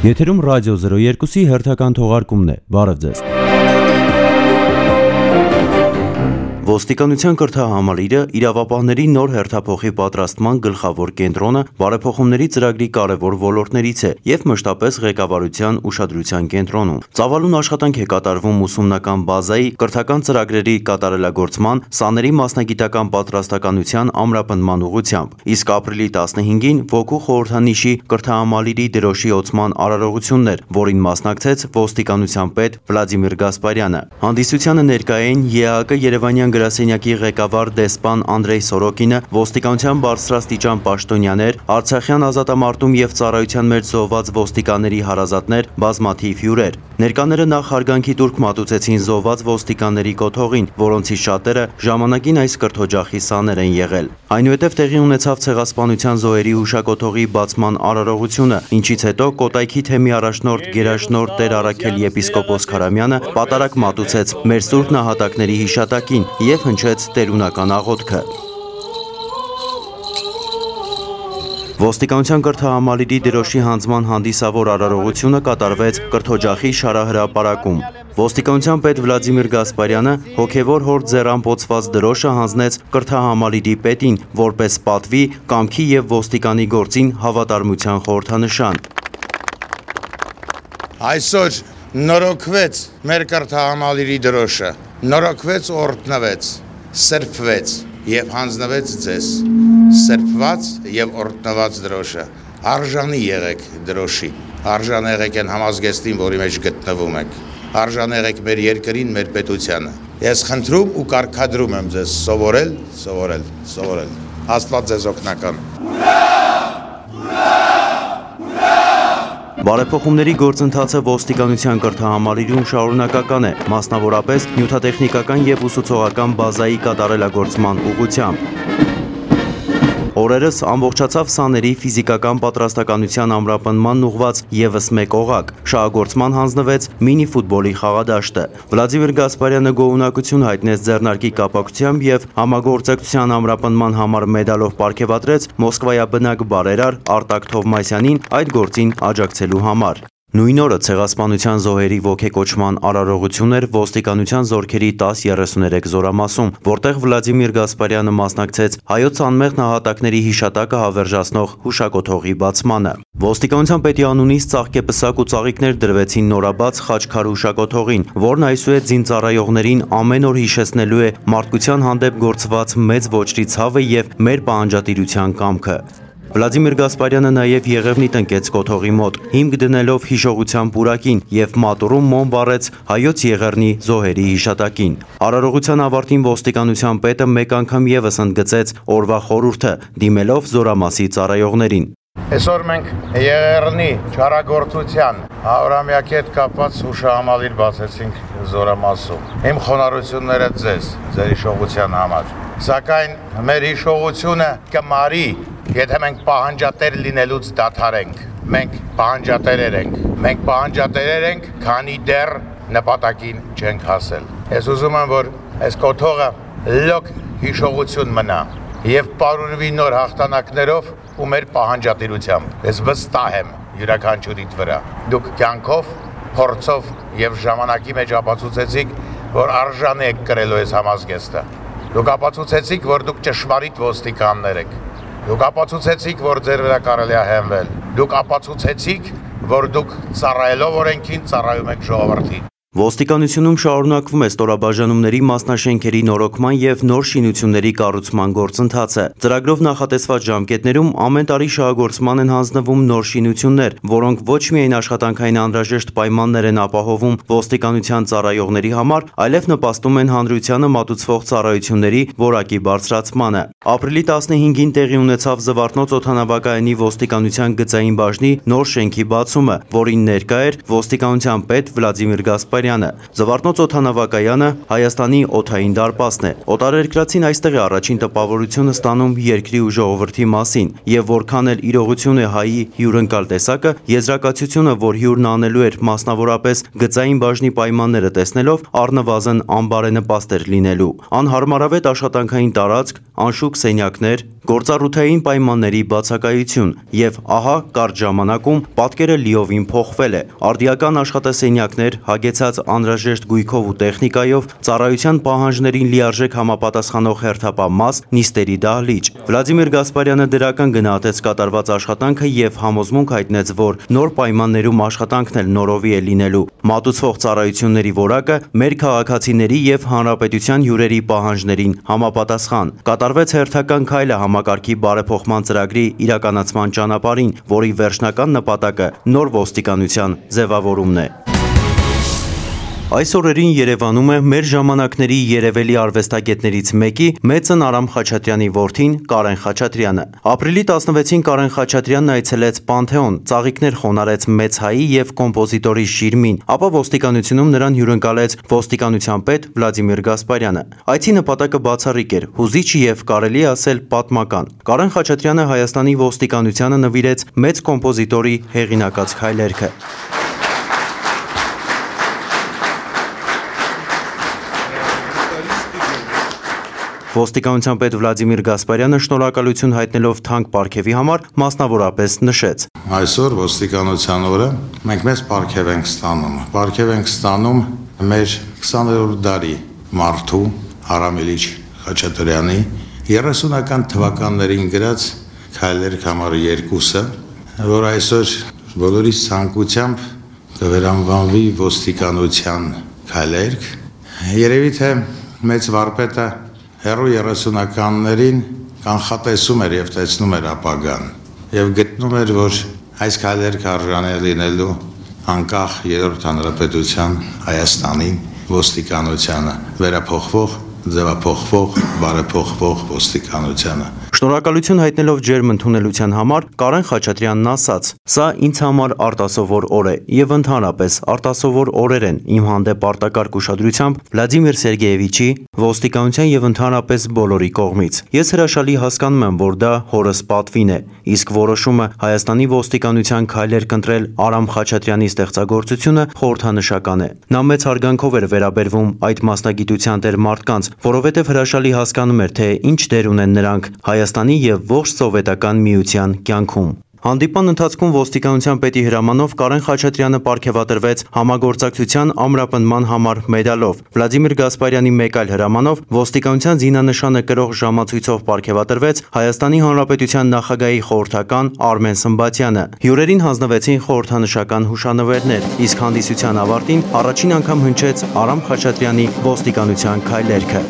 Եթերում ռադիո 02-ի հերթական թողարկումն է, բարև ձեզ։ Ոստիկանության կրթահամալիրը իրավապահների նոր հերթափոխի պատրաստման գլխավոր կենտրոնը բարեփոխումների ծրագրի կարևոր ոլորտներից է և մշտապես ղեկավարության ուշադրության կենտրոնում։ Ծավալուն աշխատանք է կատարվում ուսումնական բազայի, կրթական ծրագրերի կատարելագործման, սաների մասնագիտական պատրաստականության ամրապնդման ուղղությամբ, իսկ ապրիլի 15-ին ոգու խորհրդանիշի կրթահամալիրի դրոշի ոցման արարողությունն էր, որին մասնակցեց ոստիկանության պետ Վլադիմիր Գասպարյանը։ Հանդիսությանը ներկա էին ԵԱՀԿ Երևանյան գրասենյակի ղեկավար դեսպան Անդրեյ Սորոկինը, ոստիկանության բարձրաստիճան պաշտոնյաներ, Արցախյան ազատամարտում և ծառայության մեջ զոհված ոստիկանների հարազատներ, բազմաթիվ հյուրեր։ Ներկաները նախ հարգանքի տուրք մատուցեցին զոհված ոստիկանների կոթողին, որոնցից շատերը ժամանակին այս կրթօջախի սաներ են եղել։ Այնուհետև տեղի ունեցավ ցեղասպանության զոհերի հուշակոթողի բացման արարողությունը, ինչից հետո Կոտայքի թեմի առաջնորդ գերաշնորհ Տեր Առաքել եպիսկոպոս Քարամյանը պատարագ մատուցեց մեր սուրբ նահատակների հիշատակին և հնչեց տերունական աղոթքը։ Ոստիկանության կրթահամալիրի դրոշի հանձնման հանդիսավոր արարողությունը կատարվեց կրթօջախի շարահրապարակում։ Ոստիկանության պետ Վլադիմիր Գասպարյանը հոգևոր հոր ձեռամփոցված դրոշը հանձնեց կրթահամալիրի պետին, որպես պատվի, կամքի և ոստիկանի գործին հավատարմության խորհրդանշան։ Այսօր նորոգվեց մեր կրթահամալիրի դրոշը, նորոգվեց, օրհնվեց, սրբվեց և հանձնվեց ձեզ։ Սրբված և օրհնված դրոշը, արժանի եղեք դրոշի, արժան եղեք այն համազգեստին, որի մեջ գտնվում եք, արժան եղեք մեր երկրին, մեր պետությանը։ Ես խնդրում ու կարգադրում եմ ձեզ սովորել։ Աստված ձեզ օգնական։ Բարեփոխումների գործընթացը ոստիկանության կրթահամալիրում շարունակական է, մասնավորապես նյութատեխնիկական և ուսուցողական բազայի կատարելագործման ուղղությամբ։ Օրերս ամբողջացավ սաների ֆիզիկական պատրաստականության ամրապնդման ուղղված ևս մեկ օղակ, շահագործման հանձնվեց մինի ֆուտբոլի խաղադաշտը։ Վլադիմիր Գասպարյանը գոհունակություն հայտնեց ձեռնարկի կապակցությամբ և համագործակցության ամրապնդման համար մեդալով պարգևատրեց Մոսկվայաբնակ բարերար Արտակ Թովմասյանին այդ գործին աջակցելու համար։ Նույն օրը ցեղասպանության զոհերի ոգեկոչման արարողություն էր ոստիկանության զորքերի 1033 զորամասում, որտեղ Վլադիմիր Գասպարյանը մասնակցեց հայոց անմեղ նահատակների հիշատակը հավերժացնող հուշակոթողի բացմանը։ Ոստիկանության պետի անունից ծաղկեպսակ ու ծաղիկներ դրվեցին նորաբաց Խաչքար հուշակոթողին, որն այսուհետ զինծառայողներին ամեն օր հիշեցնելու է մարդկության հանդեպ գործված մեծ ոճրի ցավը և մեր պահանջատիրության կամքը։ Վլադիմիր Գասպարյանը նաև Եղևնի տնկեց կոթողի մոտ, հիմք դնելով հիշողության պուրակին և մատուռում մոմ վառեց հայոց Եղեռնի զոհերի հիշատակին։ Արարողության ավարտին ոստիկանության պետը մեկ անգամ ևս ընդգծեց օրվա խորհուրդը, դիմելով զորամասի ծառայողներին։ Այսօր մենք Եղեռնի չարագործության 100-ամյակի հետ կապված հուշահամալիր բացեցինք զորամասում։ Իմ խոնարհությունները ձեզ, ձեր հիշողության համար։ Սակայն մեր հիշողությունը կմարի, եթե մենք պահանջատեր լինելուց դադարենք։ Մենք պահանջատերեր ենք, քանի դեռ նպատակին չենք հասել։ Ես ուզում եմ, որ այս կոթողը լոկ հիշողություն մնա և պարուրվի նոր հաղթանակներով ու մեր պահանջատիրությամբ։ Ես վստահ եմ յուրաքանչյուրիդ վրա։ Դուք կյանքով, փորձով և ժամանակի մեջ ապացուցեցիք, որ արժանի եք կրելու այս համազգեստը։ Դուք ապացուցեցիք, որ դուք ճշմարիտ ոստիկաններ եք։ Դուք ապացուցեցիք, որ ձեր վրա կարելի է հենվել։ Դուք ապացուցեցիք, որ դուք ծառայելով օրենքին ծառայում եք ժողովրդին։ Ոստիկանությունում շարունակվում է ստորաբաժանումների մասնաշենքերի նորոգման և նոր շինությունների կառուցման գործընթացը։ Ծրագրով նախատեսված ժամկետներում ամեն տարի շահագործման են հանձնվում նոր շինություններ, որոնք ոչ միայն աշխատանքային անհրաժեշտ պայմաններ են ապահովում ոստիկանության ծառայողների համար, այլև նպաստում են հանրությանը մատուցվող ծառայությունների որակի բարձրացմանը։ Ապրիլի 15-ին տեղի ունեցավ Զվարթնոց օդանավակայանի ոստիկանության գծային բաժնի նոր շենքի բացումը, որին ներկա էր ոստիկանության պետ Վլադիմիր Գասպարյանը։ Գասպարյանը։ Զվարթնոց օդանավակայանը Հայաստանի օդային դարպասն է։ Օտարերկրացին այստեղ է առաջին տպավորությունը ստանում երկրի ու ժողովրդի մասին, եւ որքան էլ իրողություն է հայի հյուրընկալ տեսակը, եզրակացությունը, որ հյուրն անելու էր մասնավորապես գծային բաժնի պայմանները տեսնելով, առնվազն անբարենպաստ էր լինելու։ Անհարմարավետ աշխատանքային տարածք, անշուք սենյակներ, գործառութային պայմանների բացակայություն եւ ահա կարճ ժամանակում պատկերը լիովին փոխվել է։ Արդիական աշխատասենյակներ, հագեցած անհրաժեշտ գույքով ու տեխնիկայով, ծառայության պահանջներին լիարժեք համապատասխանող հերթապահ նիստերի դահլիճ։ Վլադիմիր Գասպարյանը դրական գնահատեց կատարված աշխատանքը եւ համոզմունք հայտնեց, որ նոր պայմաններում աշխատանքն էլ նորովի է լինելու։ Մատուցվող ծառայությունների որակը մեր քաղաքացիների եւ հանրապետության հյուրերի պահանջներին համապատասխան։ Կատարվեց հերթական քայլը համակարգի բարեփոխման ծրագրի իրականացման ճանապարհին, որի վերջնական նպատակը նոր ոստիկանության ձևավորումն է։ Այս օրերին Երևանում է մեր ժամանակների երևելի արվեստագետներից մեկի մեծն Արամ Խաչատրյանի որդին Կարեն Խաչատրյանը։ Ապրիլի 16-ին Կարեն Խաչատրյանն այցելեց Պանթեոն, ծաղիկներ խոնարհեց մեծ հայի եւ կոմպոզիտորի շիրմին, ապա ոստիկանությունում նրան հյուրընկալեց ոստիկանության պետ Վլադիմիր Գասպարյանը։ Այցի նպատակը բացառիկ էր, հուզիչ եւ կարելի ասել պատմական։ Կարեն Խաչատրյանը Հայաստանի ոստիկանությանը նվիրեց մեծ կոմպոզիտորի հեղինակած քայլերքը։ Ոստիկանության պետ Վլադիմիր Գասպարյանը շնորհակալություն հայտնելով թանկ պարգևի համար մասնավորապես նշեց. Այսօր ոստիկանության օրը մենք մեծ պարգև ենք ստանում։ Պարգև ենք ստանում մեր 20-րդ դարի մարդու Արամ Իլիչ Խաչատրյանի 30-ական թվականներին գրած քայլեր համարը 2-ը, որ այսօր բոլորիս ցանկությամբ կվերանվանվի ոստիկանության քայլերք։ Երևի թե մեծ վարպետը հեռու 30-ականներին կանխատեսում էր եւ տեսնում էր ապագան եւ գտնում էր, որ այս քայլերքը արժանի է լինելու անկախ երրորդ հանրապետության Հայաստանին ոստիկանությանը, վերափոխվող, ձևափոխվող, բարեփոխվող ոստիկանությանը։ Շնորհակալություն հայտնելով ջերմ ընդունելության համար Կարեն Խաչատրյանն ասաց. «Սա ինձ համար արտասովոր օր է եւ ընդհանրապես արտասովոր օրեր են իմ հանդեպ արտակարգ ուշադրությամբ Վլադիմիր Սերգեևիչի, ոստիկանության եւ ընդհանրապես բոլորի կողմից։ Ես հրաշալի հասկանում եմ, որ դա հորս պատվին է, իսկ որոշումը Հայաստանի ոստիկանության քայլեր կընտրել Արամ Խաչատրյանի ստեղծագործությունը խորհրդանշական է։ Նա մեծ հարգանքով էր վերաբերվում այդ մասնագիտության տեր մարդկանց, որովհետեւ հրաշալի հասկանում էր, թե ինչ դեր ունեն նրանք Հայաստանի եւ ողջ սովետական միության կյանքում»։ Հանդիպան ընթացքում ոստիկանության պետի հրամանով Կարեն Խաչատրյանը պարգևատրվեց համագործակցության ամրապնդման համար մեդալով։ Վլադիմիր Գասպարյանի մեկ այլ հրամանով ոստիկանության զինանշանը կրող ժամացույցով պարգևատրվեց Հայաստանի Հանրապետության նախագահի խորհրդական Արմեն Սմբատյանը։ Հյուրերին հանձնվեցին խորհրդանշական հուշանվերներ, իսկ հանդիսության ավարտին առաջին անգամ հնչեց Արամ Խաչատրյանի ոստիկանության քայլերքը։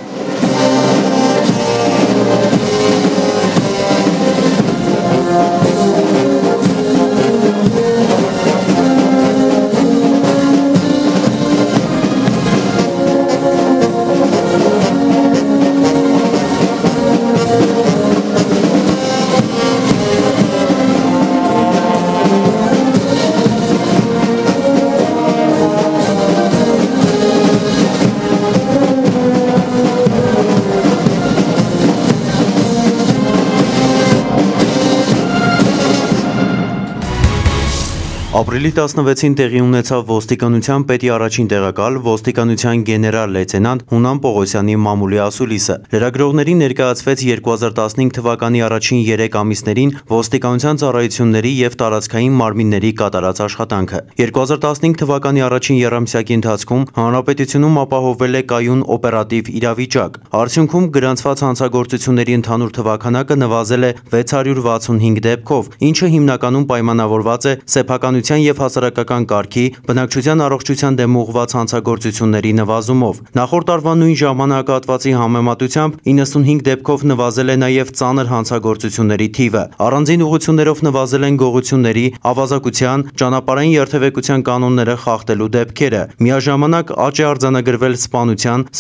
Ապրիլի 16-ին տեղի ունեցավ ոստիկանության պետի առաջին տեղակալ ոստիկանության գեներալ լեյտենանտ Հունան Պողոսյանի մամուլի ասուլիսը։ Լրագրողներին ներկայացվեց 2015 թվականի առաջին 3 ամիսներին ոստիկանության ծառայությունների եւ տարածքային մարմինների կատարած աշխատանքը։ 2015 թվականի առաջին եռամսյակի ընթացքում հանրապետությունում ապահովվել է կայուն օպերատիվ իրավիճակ։ Արդյունքում գրանցված հանցագործությունների ընդհանուր թվականակը նվազել է 665 դեպքով, ինչը հիմնականում պայմանավորված է սեփականության եւ հասարակական կարգի, բնակչության առողջության դեմ ուղղված հանցագործությունների նվազումով։ Նախորդ տարվա նույն ժամանակահատվածի համեմատությամբ 95 դեպքով նվազել է նաեւ ծանր հանցագործությունների թիվը։ Առանձին ուղղություններով նվազել են գողությունների, ավազակության, ճանապարհային երթևեկության կանոնները խախտելու դեպքերը։ Միաժամանակ աճ է արձանագրվել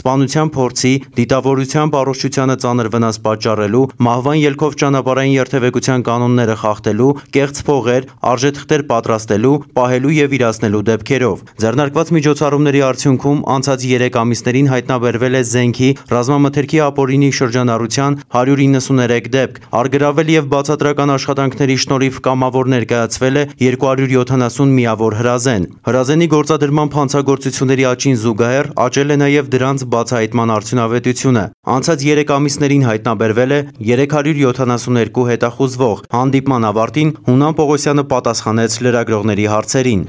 սպանության փորձի, դիտավորությամբ առողջությանը ծանր վնաս պատճառելու, մահվան ելքով ճանապարհային երթևեկության կանոնները խախտելու, կեղծ փողեր, արժեթղթեր պատրաստելու նստելու, պահելու եւ իրացնելու դեպքերով։ Ձեռնարկված միջոցառումների արդյունքում անցած 3 ամիսներին հայտնաբերվել է զենքի, ռազմամթերքի ապօրինի շրջանառության 193 դեպք, առգրավել եւ բացատրական աշխատանքների շնորհիվ կամավոր ներկայացվել է 270 միավոր հրազեն։ Հրազենի գործադրման հանցագործությունների աճին զուգահեռ աճել է նաեւ դրանց բացահայտման արդյունավետությունը։ Անցած 3 ամիսներին հայտնաբերվել է 372 հետախուզվող։ Հանդիպման ավարտին Հունան Պողոսյանը պատասխանեց լրագրողների հարցերին։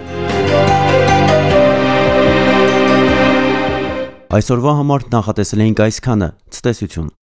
Այսօրվա համար նախատեսել էինք այսքանը։ Ցտեսություն։